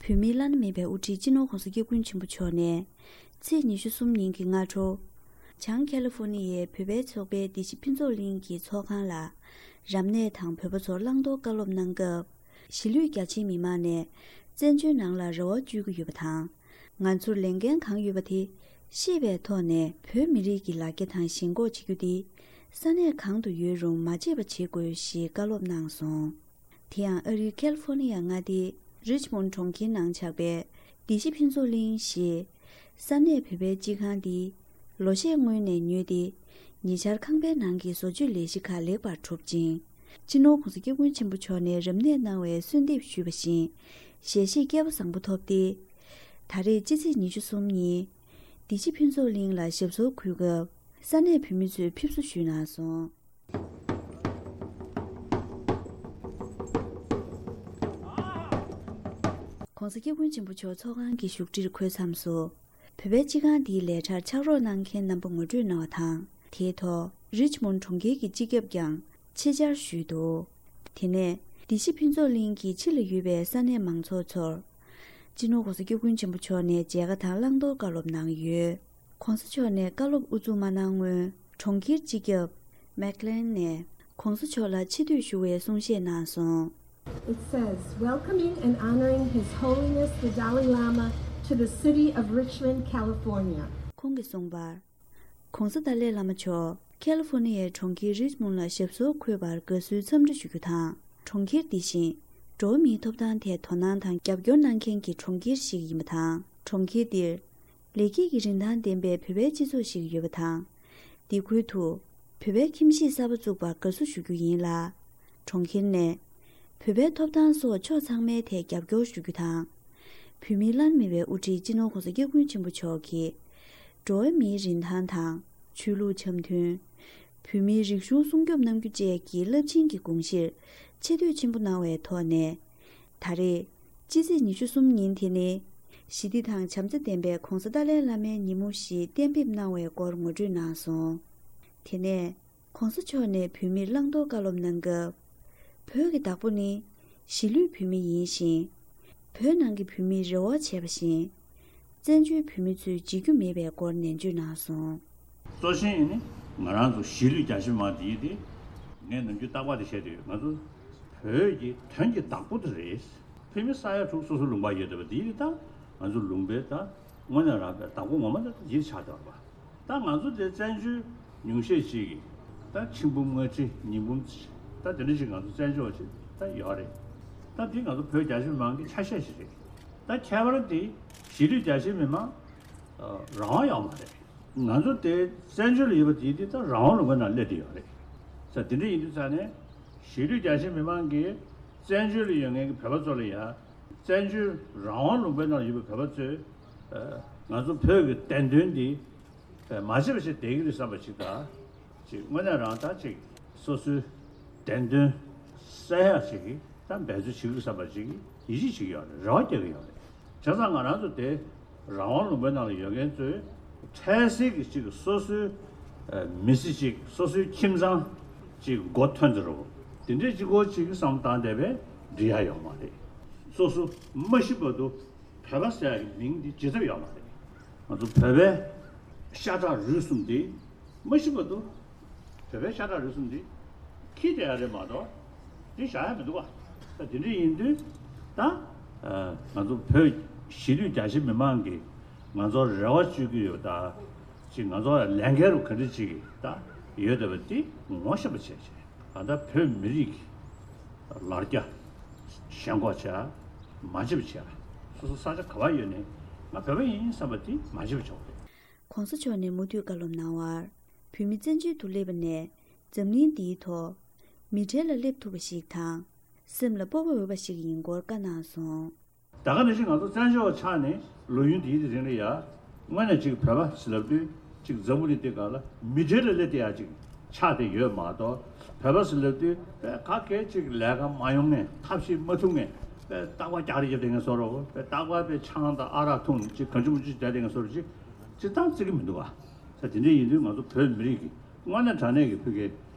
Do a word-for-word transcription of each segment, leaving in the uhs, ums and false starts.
བོད་མིའི་བླ་ན་མེད་པའི་དབུ་ཁྲིད་སྤྱི་ནོར་༧གོང་ས་༧སྐྱབས་མགོན་ཆེན་པོ་མཆོག་ནས་ཚེས་ཉི་ཤུ་གསུམ་ཉིན་གྱི་སྔ་དྲོ། བྱང་ཁ་ལི་ཧྥོ་ནི་ཡའི་བོད་པའི་ཚོགས་པའི་བདེ་སྐྱིད་ཕུན་ཚོགས་གླིང་གི་ཚོགས་ཁང་ལ། རབ་གནས་དང་བོད་པ་ཚོར་བླང་དོར་བཀའ་སློབ་གནང་སྐབས། གཞིས་ལུས་རྒྱ་ཆེའི་མི་མང་ནས་བཙན་བྱོལ་ནང་ལ་རེ་བ་བཅོལ་གྱི་ཡོད་པ་དང་། ང་ཚོར་ལས་འགན་གང་ཡོད་པ་དེ་ཤེས་པའི་ཐོག་ནས་བོད་མི་རིགས་ཀྱི་ལ་རྒྱ་དང་ཞེན་ཁོག་བྱེད་རྒྱུ་དེ་ས་གནས་གང་དུ་ཡོད་རུང་མ་བརྗེད་པ་བྱེད་དགོས་ཞེས་བཀའ་སློབ་གནང་སོང་། དེ་ཡང་ཨ་རིའི་ཁ་ལི་ཧྥོ་ནི་ཡ་མངའ་སྡེའི་རིཆ་མོན་གྲོང་ཁྱེར་ནང་ཆགས་པའི་བདེ་སྐྱིད་ཕུན་ཚོགས་གླིང་ཞེས་ས་གནས་བོད་པའི་སྤྱི་ཁང་འདི་ལོ་ཤས་སྔོན་ནས་ཉོས་ཏེ། ཉེ་ཆར་ཁང་པའི་ནང་གི་བཟོ་བཅོས་ལས་གཞི་ཁག་ལེགས་པར་གྲུབ་ཅིང་། སྤྱི་ནོར་༧གོང་ས་༧སྐྱབས་མགོན་ཆེན་པོ་མཆོག་ནས་རབ་གནས་གནང་བའི་གསོལ་འདེབས་ཞུས་པ་བཞིན་ཞལ་བཞེས་སྐལ་པ་བཟང་པོ་ཐོབ་སྟེ། ད་རེས་སྤྱི་ཚེས་ཉི་ཤུ་གསུམ་ཉིན་བདེ་སྐྱིད་ཕུན་ཚོགས་གླིང་ལ་ཞབས་སོར་འཁོད་སྐབས་ས་གནས་བོད་མི་ཚོས་ཕེབས་བསུ་ཞུས་གནང་སོང་།༧གོང་ས་༧སྐྱབས་མགོན་ཆེན་པོ་མཆོག་ཚོགས་ཁང་གི་བཞུགས་ཁྲིར་འཁོད་མཚམས་སུ། བོད་པའི་སྤྱི་ཁང་འདིའི་ལས་གྲྭར་ཕྱག་རོགས་གནང་མཁན་རྣམ་པ་ངོ་སྤྲོད་གནང་བ་དང་། དེའི་ཐོག་རིཆ་མོན་གྲོང་ཁྱེར་གྱི་སྤྱི་ཁྱབ་ཀྱང་ཆེད་བཅར་ཞུས་འདུག་དེ་ནས་བདེ་སྐྱིད་ཕུན་ཚོགས་གླིང་གི་ཕྱི་ལ་ཡོད་པའི་ས་གནས་མང་ཚོགས་ཚོར། སྤྱི་ནོར་༧གོང་ས་༧སྐྱབས་མགོན་ཆེན་པོ་མཆོག་ནས་མཇལ་ཁ་དང་བླང་དོར་བཀའ་སློབ་གནང་ཡོད། ༸གོང་ས་མཆོག་ནས་བཀའ་སློབ་དབུ་འཛུགས་མ་གནང་སྔོན། གྲོང་ཁྱེར་སྤྱི་ཁྱབ་མེག་ལན་ནས་༸གོང་ས་མཆོག་ལ་ཆེ་བསྟོད་ཞུ་བའི་གསུང་བཤད་གནང་སོང་། It says, welcoming and honoring His Holiness the Dalai Lama to the city of Richmond, California. ཁོང་གིས་གསུངས་པར། ༸གོང་ས་ཏཱ་ལའི་བླ་མ་མཆོག་ཁ་ལི་ཧྥོ་ནི་ཡའི་གྲོང་ཁྱེར་རིཆ་མོན་ལ་ཞབས་སོར་འཁོད་པར་དགའ་བསུའི་འཚམས་འདྲི་ཞུ་རྒྱུ་དང་། གྲོང་ཁྱེར་འདི་བཞིན་འགྲོ་བ་མིའི་ཐོབ་ཐང་ཐད་དོ་སྣང་དང་རྒྱབ་སྐྱོར་གནང་མཁན་གྱི་གྲོང་ཁྱེར་ཞིག་ཡིན་པ་དང་། གྲོང་ཁྱེར་འདིར་ལེགས་སྐྱེས་ཀྱི་རིན་ཐང་ལྡན་པའི་བོད་པའི་སྤྱི་ཚོགས་ཤིག་ཡོད་པ་དང་། འདི་ཁུལ་དུ་བོད་པའི་ཁྱིམ་གཞིས་གསར་པ་བཙུགས་པར་དགའ་བསུ་ཞུ་རྒྱུ་ཡིན་ལ། གྲོང་ཁྱེར་ནས་བོད་པའི་ཐོབ་ཐང་སོགས་ཕྱོགས་ཚང་མའི་ཐད་རྒྱབ་སྐྱོར་ཞུ་རྒྱུ་དང་། བོད་མིའི་བླ་ན་མེད་པའི་དབུ་ཁྲིད་སྤྱི་ནོར་༸གོང་ས་༸སྐྱབས་མགོན་ཆེན་པོ་མཆོག་གིས། འགྲོ་བ་མིའི་རིན་ཐང་དང་། ཆོས་ལུགས་འཆམ་མཐུན། བོད་མིའི་རིག་གཞུང་སྲུང་སྐྱོབ་གནང་རྒྱུ་བཅས་ཀྱི་རླབས་ཆེན་གྱི་དགོངས་གཞིར་ཆེ་བསྟོད་ཆེན་པོ་གནང་བའི་ཐོག་ནས། ད་རེས་སྤྱི་ཚེས་ཉི་ཤུ་གསུམ་ཉིན་དེ་ནི་ཞི་བདེ་དང་བྱམས་བརྩེ་ལྡན་པའི་༸གོང་ས་ཏཱ་ལའི་བླ་མའི་ཉིན་མོ་ཞེས་གཏན་འབེབས་གནང་བའི་སྐོར་ངོ་སྤྲོད་གནང་སོང་། དེ་ནས། ༸གོང་ས་མཆོག་ནས་བོད་མིར་བླང་དོར་བཀའ་སློབ་གནང་སྐབས། བོད་ཀྱི་བདག་པོ་ནི་གཞིས་ལུས་བོད་མི་ཡིན་ཞིང་། བོད་ནང་གི་བོད་མིས་རེ་བ་བྱས་པ་བཞིན། བཙན་བྱོལ་བོད་མི་ཚོས་བྱེད་རྒྱུ་མེད་པའི་སྐོར་ནན་བརྗོད་གནང་སོང་། གཙོ་ཆེན་ནི་ང་རང་ཚོ་གཞིས་ལུས་རྒྱ་ཆེ་མང་དེ་ཡིན་ཏེ། ངས་ནམ་རྒྱུན་རྟག་པར་དེ་བཤད་དེ་ཡོད། ང་ཚོ་བོད་ཀྱི་དོན་གྱི་བདག་པོ་དེ་རེད། ཕ་མི་ས་ཡ་དྲུག་སོ་སོའི་ལུང་པ་ཡོད་བསྡད་པ་དེ་ཡིན་ད། ང་ཚོ་ལུང་པའི་ད་དངོས་གནས་རང་གི་བདག་པོ་ངོ་མ་ད་ཡིད་ཆགས་བསྡད་པ། ད་ང་ཚོ་དེ་བཙན་བྱོལ་ཉུང་ཤས་ཅིག་གིས་ད་ཆིག་འབུམ་ལྔ་ཁྲི་ཉིས་འབུམ་ད་དེ་འདྲ་ཞིག་ང་ཚོ་བཙན་བྱོལ་བ་ཞིག་ད་ཡོད་རེད། ད་འདི་ང་ཚོ་བོད་རྒྱ་ཆེ་མང་གི་ཆ་ཤས་ཤིག་རེད། ད་ཁྱད་པར་འདི་གཞིས་ལུས་རྒྱ་ཆེ་མི་མང་རང་དབང་ཡོད་མ་རེད། ང་ཚོ་དེ་བཙན་བྱོལ་ལ་ཡོད་པ་དེ་འདི་ད་རང་དབང་ལུང་པའི་ནང་སླེབས་བསྡད་ཡོད་རེད། ས་དེ་འདྲ་ཡིན་དུས་ཙང་ནས་གཞིས་ལུས་རྒྱ་ཆེ་མི་མང་གིས་བཙན་བྱོལ་ལ་ཡོད་མཁན་གྱི་བོད་པ་ཚོ་ལ་ཡང་བཙན་བྱོལ་རང་དབང་ལུང་པའི་ནང་ལ་ཡོད་པའི་བོད་པ་ཚོས་ང་ཚོ་བོད་ཀྱི་བདེན་དོན་འདི་མ་བརྗེད་པ་ཞིག་བསྡད་ཀྱི་རེད་བསམ་པ་ཞིག་དང་། ཅིག་དངོས་གནས་རང་ད་ཅིག་སོ་སོའི་བདེན་དོན་གསལ་ཡག་ཅིག་གི་ད་འབད་རྩོལ་བྱེད་ཀྱི་རེད་བསམ་པ་ཅིག་ཡིད་ཆེས་བྱེད་ཀྱི་ཡོད་རེད། རེ་བ་རྒྱག་གི་ཡོད་རེད། བྱས་ཙང་ང་རང་ཚོ་དེ་རང་དབང་ལུང་པའི་ནང་ལ་ཡོད་མཁན་ཚོས་འཕྲལ་སེལ་གྱི་ཅིག་སོ་སོའི་མི་ཚེ་ཅིག་སོ་སོའི་ཁྱིམ་ཚང་ཅིག་མགོ་ཐོན་ཚར་རོ། དེ་འདྲའི་ཅིག་གོ་ཅིག་བསམ་བཏང་བསྡད་པས་འགྲིག་ཡ་ཡོད་མ་རེད། སོ་སོ་མ་ཤི་བར་དུ་བོད་པ་ཟེར་ཡ་གི་མིང་འདི་བརྗེད་ཐབས་ཡོད་མ་རེད། ང་ཚོ་བོད་པའི་ཤ་ཁྲག་རུས་གསུམ་འདི་མ་ཤི་བར་དུ་བོད་པའི་ཤ་ཁྲག་རུས་གསུམ་འདི་འཁྱེར་བསྡད་ཡ་རེད་མ་གཏོགས་འདི་བཞག་ཡ་མི་འདུག་བ། ད་དེ་འདྲ་ཡིན་དུས་ད་ང་ཚོ་བོད་གཞིས་ལུས་རྒྱ་ཆེ་མི་མང་གིས་ང་ཚོར་རེ་བ་བཅོལ་གྱི་ཡོད་ད། ཅིག་ང་ཚོ་ལས་འགན་རུ་ག་འདྲ་ཅིག་ད་ཡོད་བསྡད་པ་འདི་ངོ་ཤེས་པ་བྱས་བྱས་ད་ལྟ་བོད་མི་རིགས་ལ་རྒྱ་ཞེན་ཁོག་བྱས་མ་བརྗེད་པ་བྱས། སོ་སོ་ས་ཆ་ག་པར་ཡོད་ནས་ང་བོད་པ་ཡིན་བསམ་པ་འདི་མ་བརྗེད་པ་བྱས་པ་རེད། ༸གོང་ས་མཆོག་ནས་མུ་མཐུད་བཀའ་སློབ་གནང་བར། བོད་མི་བཙན་བྱོལ་དུ་སླེབས་པ་ནས་འཛམ་གླིང་འདིའི་ཐོག་མི་གྲལ་ལ་སླེབས་ཐུབ་པ་ཞིག་དང་། སེམས་ལ་སྤོབས་པ་འོས་པ་ཞིག་ཡིན་སྐོར་བཀའ་གནང་སོང་། ད་ག་ནང་བཞིན་ང་ཚོ་བཙན་བྱོལ་བ་ཆགས་ནས་ལོ་ཡུན་འདིའི་རིང་ལ་ཡ། དངོས་གནས་ཅིག་བོད་པ་ཟེར་ལབ་དུས་ཅིག་འཛམ་བུ་གླིང་འདི་སྒང་ལ་མི་གྲལ་ལ་སླེབས་བསྡད་ཡ་ཅིག་ཆགས་བསྡད་ཡོད་མ་གཏོགས། བོད་པ་ཟེར་ལབ་དུས་པས་ག་གེ་ཅིག་ལས་ཀ་མ་ཡོང་མཁན། ཐབས་ཤེས་མ་ཐུབ་མཁན། པས་རྟག་པར་རྒྱག་རེས་རྒྱབ་བསྡད་མཁན་བཟོ་འདྲ་བོ། པས་རྟག་པར་པས་ཆང་དང་ཨ་རག་འཐུང་ཅིག་གང་བྱུང་མང་བྱུང་བྱས་བསྡད་མཁན་བཟོ་འདྲ་ཅིག་ཅིག་ཏང་བརྩི་གི་མི་འདུག་ག་ས་དེ་འདྲ་ཡིན་དུས་ང་ཚོ་བོད་མི་རིགས་ཀྱི་དངོས་གནས་དྲང་གནས་ཀྱི་བོད་ཀྱི་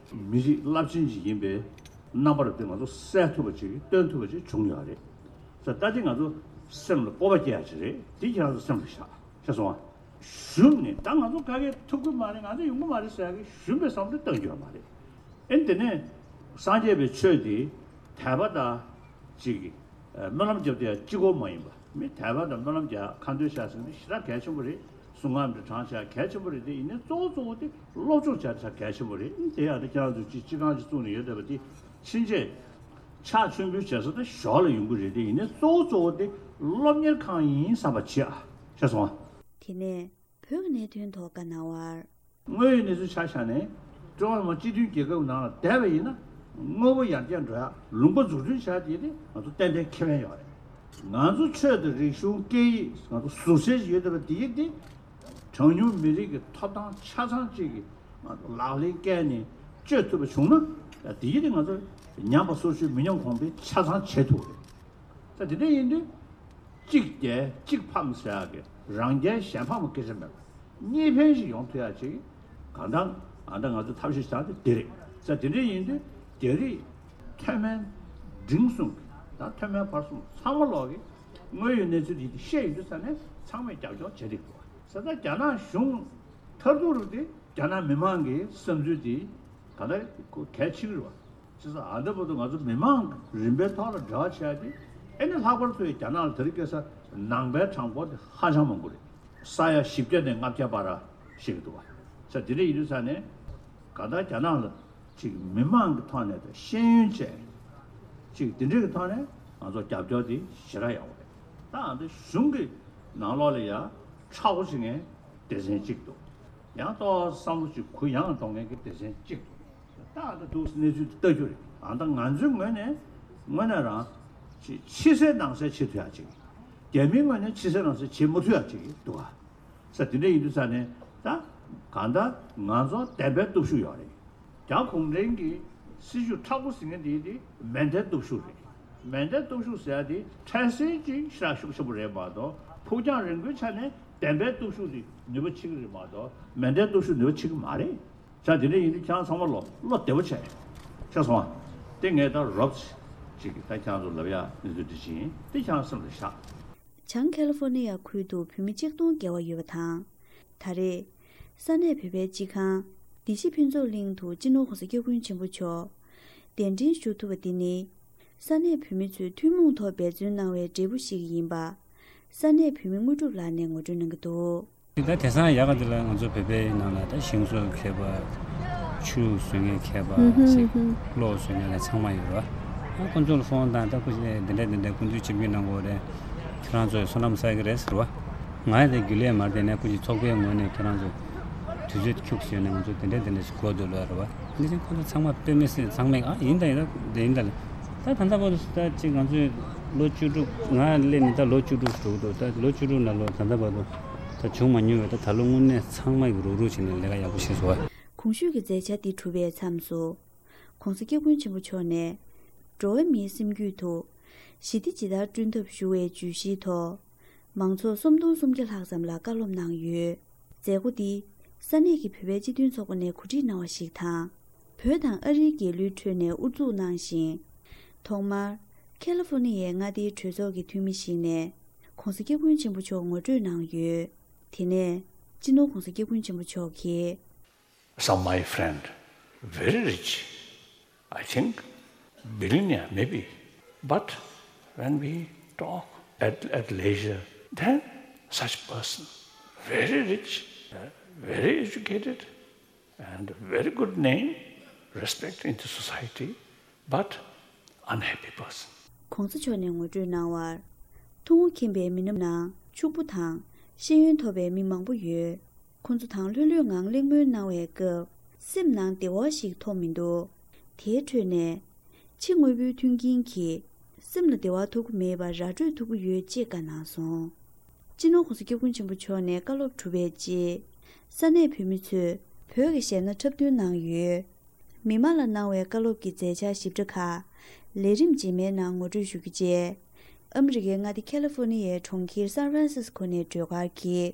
མི་རིགས་རླབས་ཆེན་ཅིག་ཡིན་པའི་རྣམ་པ་རུ་དེ་ང་ཚོ་གསལ་ཐུབ་པ་ཅིག་སྟོན་ཐུབ་པ་ཅིག་བྱུང་ཡོད་རེད། ས་ད་དེ་ང་ཚོ་ སེམས་ལ་སྤོབས་པ་སྐྱེ་ཡ་ཅིག་རེད། འདི་ཁྱེད་རང་ཚོ་སེམས་ལ་བཞག་ཤེས་སོང་ང་། ཞུམ་ནས་ད་ང་ཚོ་ག་གེ་ཐུབ་ཀྱི་མ་རེད། ང་ཚོ་ཡོང་གི་མ་རེད་ཟེར་ཡ་གི་ཞུམ་པའི་བསམ་བློ་བཏང་རྒྱུ་ཡོད་མ་རེད། ཨེ་དེ་ནས་སངས་རྒྱས་པའི་ཆོས་དེ་དད་པ་དང་ཅིག་སྨོན་ལམ་རྒྱབ་དེ་ཡང་གཅིག་པོ་མ་ཡིན་པ། མི་དད་པ་དང་སྨོན་ལམ་རྒྱག་ཁ་འདོན་བྱ་ཟེར་ན་ཞེ་དྲག་གལ་ཆེན་པོ་རེད། གསུང་ངག་འདི་དྲང་བྱ་གལ་ཆེན་པོ་རེད། དེ་ཡིན་ནའི་གཙོ་བོ་གཙོ་བོ་དེ་སློབ་སྦྱོང་བྱ་ཆ་གལ་ཆེན་པོ་རེད། དེ་ཡང་དེ་ཁྱེད་རང་ཚོ་ཅིག་སྤྱི་ཁང་ཅིག་བཙུགས་ནས་ཡོད་བསྡད་པ་དེ་ཕྱིན་ཆད་ཕྱག་མཆོད་འབུལ་བྱེད་ས་དེ་ཞོར་ལ་ཡོང་གི་རེད། དེ་ཡིན་ནའི་གཙོ་བོ་གཙོ་བོ་དེ་སློབ་གཉེར་ཁང་ཡིན་བསམ་པ་བྱེད་ཨ། ཤེས་སོང་ཨ། དེ་ནས་བོད་ཀྱི་གནད་དོན་ཐོག་བཀའ་གནང་བར། དངོས་ཡོད་གནས་ཚུལ་ཆ་བཞག་ནས་ཀྲུང་ཧྭ་མི་དམངས་སྤྱི་མཐུན་རྒྱལ་ཁབ་ནང་ལ་བསྡད་པ་ཡིན་ན་དངོས་པོ་ཡར་རྒྱས་འགྲོ་ཡ་ལུང་པ་འཛུགས་སྐྲུན་བྱ་ཡ་དེ་དེ་ང་ཚོ་ཏན་ཏན་ཁེ་ཕན་ཡོད་རེད། ང་ཚོ་ཆོས་དང་རིག་གཞུང་སྐད་ཡིག་ང་ཚོ་ཟུར་གསལ་ཞིག་ཡོད་བསྡད་པ་དེ་ཡིན་ཏེ། གྲངས་ཉུང་མི་རིགས་ཀྱི་ཐོབ་ཐང་ཆ་ཚང་གཅིག་གི་ང་ཚོ་ལག་ལེན་བཀལ་ནས་སྤྱོད་ཐུབ་པ་བྱུང་ན་དེ་ཡིན་ཏེ་ང་ཚོ་ཉམས་པ་སོར་ཆུད་མི་ཉམས་གོང་འཕེལ་ཆ་ཚང་བྱེད་ཐུབ་རེད། ད་དེ་འདྲ་ཡིན་དུས། གཅིག་རྒྱལ་གཅིག་ཕམ་ཟེར་ཡག་གི་རང་རྒྱལ་གཞན་ཕམ་སྐད་ཆ་མེད་པ། གཉིས་ཕན་ཞིག་ཡོང་ཐུབ་ཡག་ཅིག་གང་ལྟར་ཨ་ད་ང་ཚོ་ཐབས་ཤེས་བྱ་དེ་དེ་རེད། ས་དེ་འདྲ་ཡིན་དུས་རྒྱ་རིགས་མཐོ་དམན་འབྲིང་གསུམ་གྱི་ད་མཐོ་དམན་བར་གསུམ་ཚང་མ་ལོག་གི་དངོས་ཡོད་གནས་ཚུལ་དེ་ཤེས་ཡོང་དུས་ས་ནས་ཚང་མས་རྒྱབ་སྐྱོར་བྱེད་བསྡད་འདུག་ས་ད་རྒྱ་ནག་གཞུང་མཐར་ཐུག་རུ་དེ་རྒྱ་ནག་མི་མང་གི་བསམ་ཚུལ་དེ་ག་ད་གལ་ཆེ་གི་རེད་བ། བྱས་ཙང་ཨ་འདི་བར་དུ་ང་ཚོ་མི་མང་རིམ་པའི་ཐོག་ལ་འབྲེལ་བ་བྱས་ཏེ་ཨེ་ནི་ལྷག་པར་དུ་རྒྱ་ནག་ལ་དེ་རིང་ཁ་སང་ནང་པའི་གྲངས་འབོར་དེ་ཧ་ཅང་མང་པོ་རེད། ས་ཡ་བཞི་བརྒྱ་ནས་ལྔ་བརྒྱ་བར་ཞིག་འདུག་བ། ས་དེ་འདྲ་ཡིན་དུས་ས་ནས་ག་ད་རྒྱ་ནག་ལ་ཅིག་མི་མང་གི་ཐོག་ནས་དང་ཤེས་ཡོན་བཅས་ཅིག་དེ་འདྲ་གི་ཐོག་ནས་ང་ཚོ་རྒྱབ་སྐྱོར་དེ་ཞེ་དྲག་ཡག་པོ་རེད། ད་ཨ་འདི་གཞུང་གི་ནང་ལོགས་ལ་ཡ་ཁྲ་བོ་ཞིག་ངས་སྡེ་ཚན་གཅིག་འདུག་ཡང་ཏོག་བསམ་བློ་ཅིག་གུ་ཡངས་གཏོང་མཁན་གྱི་སྡེ་ཚན་གཅིག་འདུག་ད་ད་འདུག་གནས་ཚུལ་དེ་ལྟ་རྒྱུ་རེད། ཨ་ད་ང་ཚོའི་ངོས་ནས་དངོས་གནས་རང་ཕྱི་ཕྱི་གསལ་ནང་གསལ་བྱེད་ཐུབ་ཡག་ཅིག་རྒྱ་མིའི་ངོས་ནས་ཕྱི་གསལ་ནང་གསལ་བྱེད་མ་ཐུབ་ཡག་ཅིག་འདུག་ཨ། ས་དེ་འདྲ་ཡིན་དུས་ས་ནས་ད་གང་ལྟར་ང་ཚོ་བདེན་པའི་སྟོབས་ཤུགས་ཡོད་རེད། རྒྱ་གུང་ཁྲན་གྱི་སྲིད་ཇུས་མཁྲེགས་པོ་ཟེར་མཁན་དེ་དེ་མེ་མདའི་སྟོབས་ཤུགས་རེད། མེ་མདའི་སྟོབས་ཤུགས་ཟེར་ཡ་དེ་འཕྲལ་སེལ་གྱི་ཤ་ཤུགས་ཆེན་པོ་རེད་མ་གཏོགས་ཕུགས་རྒྱང་རིང་པོའི་ཆ་ནས་བདེན་པའི་སྟོབས་ཤུགས་དེ་ནུས་པ་ཆེ་གི་རེད་མ་གཏོགས་མེ་མདའི་སྟོབས་ཤུགས་ནུས་པ་ཆེ་གི་མ་རེད། ས་དེ་འདྲ་ཡིན་དུས་ཁྱེད་རང་ཚང་མ་ལོ་བློ་བདེ་པོ་བྱས། ཤེས་སོང་ཨ། དེ་ངས་ད་རོབ་ཅིག་གི་ད་ཁྱེད་རང་ཚོ་ལབ་ཡ་གནས་ཚུལ་འདི་ཅིག་ཡིན། དེ་ཁྱེད་རང་སེམས་ལ་བཞག་བྱང་ཁ་ལི་ཧྥོ་ནི་ཡ་ཁུལ་དུ་བོད་མི་གཅིག་སྟོང་བརྒལ་བ་ཡོད་པ་དང་། ད་རེས་ས་གནས་བོད་པའི་སྤྱི་ཁང་བདེ་སྐྱིད་ཕུན་ཚོགས་གླིང་དུ་སྤྱི་ནོར་༸གོང་ས་༸སྐྱབས་མགོན་ཆེན་པོ་མཆོག་གདན་འདྲེན་ཞུ་ཐུབ་པ་འདི་ནི། ས་གནས་བོད་མི་ཚོས་ཐུན་མོང་ཐོག་འབད་བརྩོན་གནང་བའི་འབྲས་བུ་ཞིག་ཡིན་པ། ས་གནས་བོད་མི་དངོས་གྲུབ་ལགས་ནས་ངོ་སྤྲོད་གནང་གི་འདུག་ད་དེང་སང་ཡག་ག་འདི་ལ་ང་ཚོ་བོད་པའི་ནང་ལ་ད་ཞིང་བཟོ་མཁས་པ། ཆུ་བཟོ་མཁན་མཁས་པ་ཞིག་གློག་བཟོ་མཁན་ལ་ཚང་མ་ཡོད་རེད་བ། ཁོང་ཚོ་ལ་ཧྥོན་བཏང་། ད་ཁོ་ཞིག་འདི་འདྲ་འདི་འདྲ་སྐུ་མདུན་ཆིབས་བསྒྱུར་གནང་དགོས་རེད། ཁྱེད་རང་ཚོས་བསོད་ནམས་བསགས་ཀྱི་རེད་ཟེར་བ། ང་ཡང་དེ་རྒྱུན་ལས་མར་དེ་ནས་སྐུ་མཁྱེན་ཚོགས་པའི་ངོས་ནས་ཁྱེད་རང་ཚོ་དུས་ཚོད་ཁྱུག་ཙམ་ཡོད་ན་ང་ཚོ་དེ་འདྲ་དེ་འདྲ་ཞིག་གོ་འདུག་ལབ་རེད་བ། འདི་ཕྱིན་ཁོང་ཚོ་ཚང་མ་དཔེ་མི་སྲིད་ཚང་མས་ཨ་ཡིན་ད་ཡིན་ད་དེ་ཡིན་ད་ལ། ད་ད་ལྟ་བར་དུ་ད་ཅིག་ང་ཚོས་ལོ་བཅུ་དྲུག་ང་སླེབས་ནས་ད་ལོ་བཅུ་དྲུག་འགྲོ་གི་འདུག་ད་ལོ་བཅུ་དྲུག་ནང་ལོ་ད་ལྟ་བར་དུ་ད་བྱུང་མ་མྱོང་བའི་ད་ད་ལོ་དངོས་གནས་ཚང་མ་གི་རུག་རུག་བྱས་ནས་ལས་ཀ་ཡག་པོ་བྱས་སོང་བ། གོང་ཞུས་ཀྱི་མཛད་འཆར་འདི་གྲུབ་པའི་མཚམས་སུ། ༸གོང་ས་༸སྐྱབས་མགོན་ཆེན་པོ་མཆོག་ནས། འགྲོ་བ་མིའི་སེམས་རྒྱུད་དུ། ཞི་བདེ་ཇི་ལྟར་བསྐྲུན་ཐབས་ཞུ་བའི་བརྗོད་གཞིའི་ཐོག་མང་ཚོགས་སུམ་སྟོང་སུམ་བརྒྱ་ལྷག་ཙམ་ལ་བཀའ་སློབ་གནང་ཡོད། མཛད་སྒོ་འདི། ས་གནས་ཀྱི་བོད་པའི་སྤྱི་མཐུན་ཚོགས་པ་ནས་གོ་སྒྲིག་གནང་བ་ཞིག་དང་། བོད་དང་ཨ་རིའི་རྒྱལ་གླུའི་ཁྲོད་ནས་དབུ་འཛུགས་གནང་ཞིང་། ཐོག་མར། ཁ་ལི་ཧྥོ་ནི་ཡའི་མངའ་སྡེའི་གྲོས་ཚོགས་ཀྱི་འཐུས་མི་ཞིག་ནས། ༸གོང་ས་༸སྐྱབས་མགོན་ཆེན་པོ་མཆོག་ངོ་སྤྲོད་གནང་ཡོད། དེ་ནས། སྤྱི་ནོར་༸གོང་ས་༸སྐྱབས་མགོན་ཆེན་པོ་མཆོག་གིས། Some my friend, very rich, I think billionaire maybe, but when we talk at, at leisure, then such person, very rich, uh, very educated, and very good name, respect in the society, but unhappy person. ༸གོང་ས་མཆོག་ནས་ངོ་སྤྲོད་གནང་བར། ཐུང་ངུ་མཁྱེན་པའི་མི་སྣ་ནང་ཕྱུག་པོ་དང་ཤེས་ཡོན་ཐོབ་པའི་མི་མང་པོ་ཡོད། ཁོང་ཚོ་དང་ལྷོད་ལྷོད་ངང་གླེང་མོལ་གནང་བའི་སྐབས་སེམས་ནང་བདེ་བ་ཞིག་ཐོབ་མི་འདུག་དེའི་ཁྲོད་ནས་ཕྱི་དངོས་པོའི་མཐུན་རྐྱེན་གྱིས་སེམས་ལ་བདེ་བ་ཐོབ་ཀྱི་མེད་པར་ར་སྤྲོད་ཐུབ་ཀྱི་ཡོད་ཅེས་བཀའ་གནང་སོང་། སྤྱི་ནོར་༸གོང་ས་༸སྐྱབས་མགོན་ཆེན་པོ་མཆོག་ནས་བཀའ་སློབ་གྲུབ་པའི་རྗེས། ས་གནས་བོད་མི་ཚོས་བོད་ཀྱི་གཞས་སྣ་འཁྲབ་སྟོན་གནང་ཡོད། མི་མང་ལ་གནང་བའི་བཀའ་སློབ་ཀྱི་མཛད་འཆར་ཞིབ་ཕྲ་ཁག་ལས་རིམ་རྗེས་མའི་ནང་ངོ་སྤྲོད་ཞུ་རྒྱུ་བཅས། ཨ་མི་རི་ཀའི་མངའ་སྡེ་ཁ་ལི་ཧྥོ་ནི་ཡའི་གྲོང་ཁྱེར་སན་ཧྥ་རན་སིས་ཀོ་ནས་སྒྲོལ་དཀར་གྱིས་